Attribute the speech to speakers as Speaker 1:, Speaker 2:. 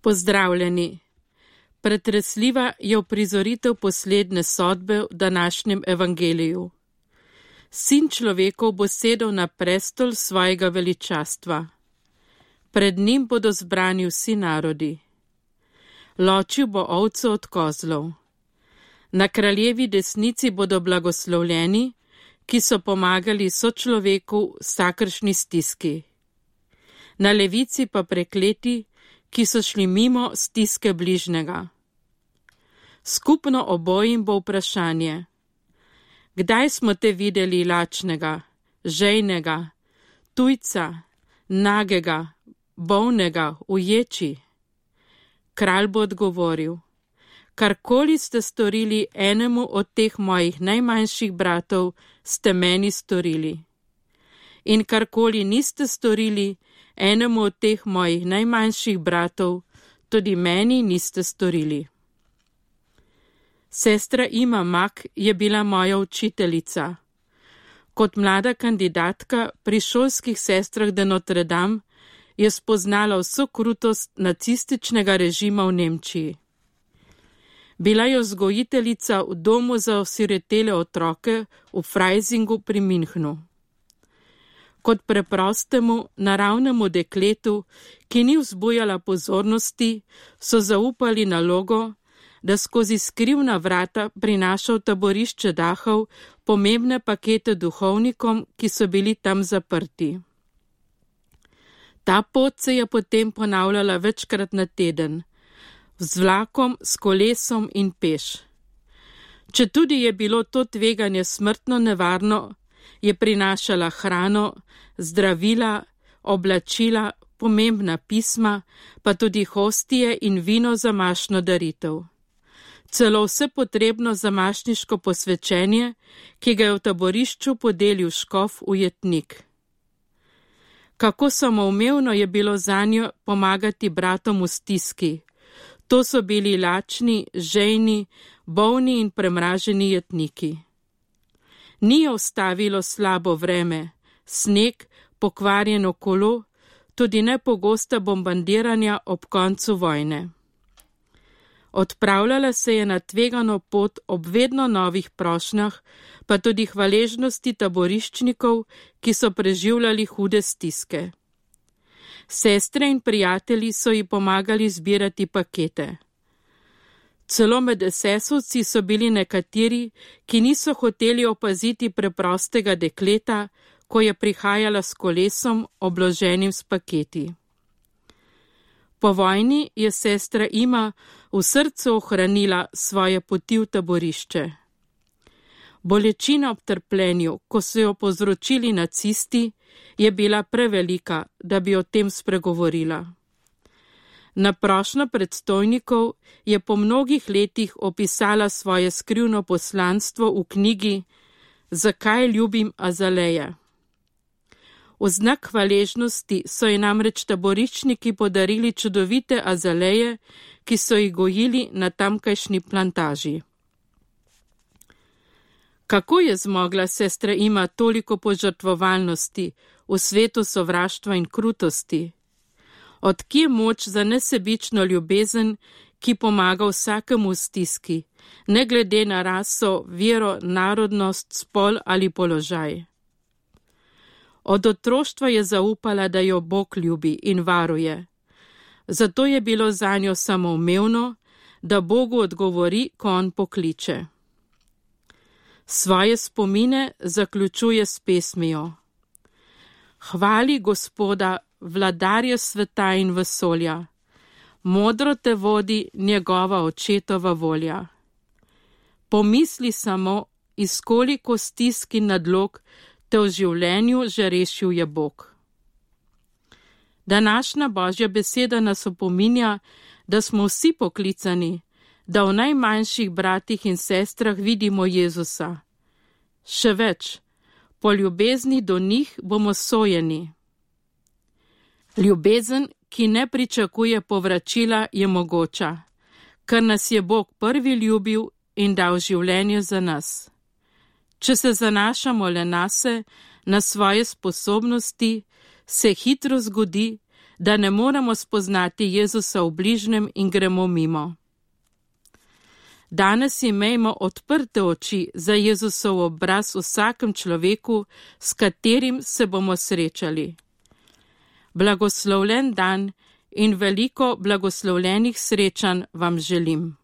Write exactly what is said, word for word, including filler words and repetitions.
Speaker 1: Pozdravljeni. Pretresljiva je uprizoritev poslednje sodbe v današnjem evangeliju. Sin človekov bo sedel na prestol svojega veličastva. Pred njim bodo zbrani vsi narodi. Ločil bo ovco od kozlov. Na kraljevi desnici bodo blagoslovljeni, ki so pomagali sočloveku v vsakršni stiski. Na levici pa prekleti, ki so šli mimo stiske bližnjega. Skupno obojim bo vprašanje: kdaj smo te videli lačnega, žejnega, tujca, nagega, bolnega, v ječi? Kralj bo odgovoril: karkoli ste storili enemu od teh mojih najmanjših bratov, ste meni storili. In karkoli niste storili enemu od teh mojih najmanjših bratov, tudi meni niste storili. Sestra Ima Mak je bila moja učiteljica. Kot mlada kandidatka pri šolskih sestrah de Notre Dame je spoznala vso krutost nacističnega režima v Nemčiji. Bila je vzgojiteljica v domu za osiretele otroke v Freisingu pri Münchnu. Kot preprostemu, naravnemu dekletu, ki ni vzbujala pozornosti, so zaupali nalogo, da skozi skrivna vrata prinaša v taborišče Dachau pomembne pakete duhovnikom, ki so bili tam zaprti. Ta pot se je potem ponavljala večkrat na teden, z vlakom, s kolesom in peš. Četudi je bilo to tveganje smrtno nevarno, je prinašala hrano, zdravila, oblačila, pomembna pisma, pa tudi hostije in vino za mašno daritev. Celo vse potrebno za mašniško posvečenje, ki ga je v taborišču podelil škof ujetnik. Kako samoumevno je bilo zanjo pomagati bratom v stiski. To so bili lačni, žejni, bolni in premraženi jetniki. Ni jo ustavilo slabo vreme, sneg, pokvarjeno kolo, tudi nepogosta bombardiranja ob koncu vojne. Odpravljala se je na tvegano pot ob vedno novih prošnjah, pa tudi hvaležnosti taboriščnikov, ki so preživljali hude stiske. Sestre in prijatelji so ji pomagali zbirati pakete. Celo med esesovci so bili nekateri, ki niso hoteli opaziti preprostega dekleta, ko je prihajala s kolesom, obloženim s paketi. Po vojni je sestra Ima v srcu ohranila svoje poti v taborišče. Bolečina ob trpljenju, ko so jo povzročili nacisti, je bila prevelika, da bi o tem spregovorila. Na prošnjo predstojnikov je po mnogih letih opisala svoje skrivno poslanstvo v knjigi Zakaj ljubim azaleje. V znak hvaležnosti so ji namreč taboriščniki podarili čudovite azaleje, ki so jih gojili na tamkajšnji plantaži. Kako je zmogla sestra Ima toliko požrtvovalnosti v svetu sovraštva in krutosti? Od kje moč za nesebično ljubezen, ki pomaga vsakemu v stiski, ne glede na raso, vero, narodnost, spol ali položaj? Od otroštva je zaupala, da jo Bog ljubi in varuje. Zato je bilo zanjo samoumevno, da Bogu odgovori, ko on pokliče. Svoje spomine zaključuje s pesmijo: Hvali Gospoda, vladarja sveta in vesolja, modro te vodi njegova očetova volja. Pomisli samo, iz koliko stisk in nadlog te v življenju že rešil je Bog. Današnja Božja beseda nas opominja, da smo vsi poklicani, da v najmanjših bratih in sestrah vidimo Jezusa. Še več, po ljubezni do njih bomo sojeni. Ljubezen, ki ne pričakuje povračila, je mogoča, ker nas je Bog prvi ljubil in dal življenje za nas. Če se zanašamo le nase, na svoje sposobnosti, se hitro zgodi, da ne moremo spoznati Jezusa v bližnjem in gremo mimo. Danes imejmo odprte oči za Jezusov obraz v vsakem človeku, s katerim se bomo srečali. Blagoslovljen dan in veliko blagoslovljenih srečanj vam želim.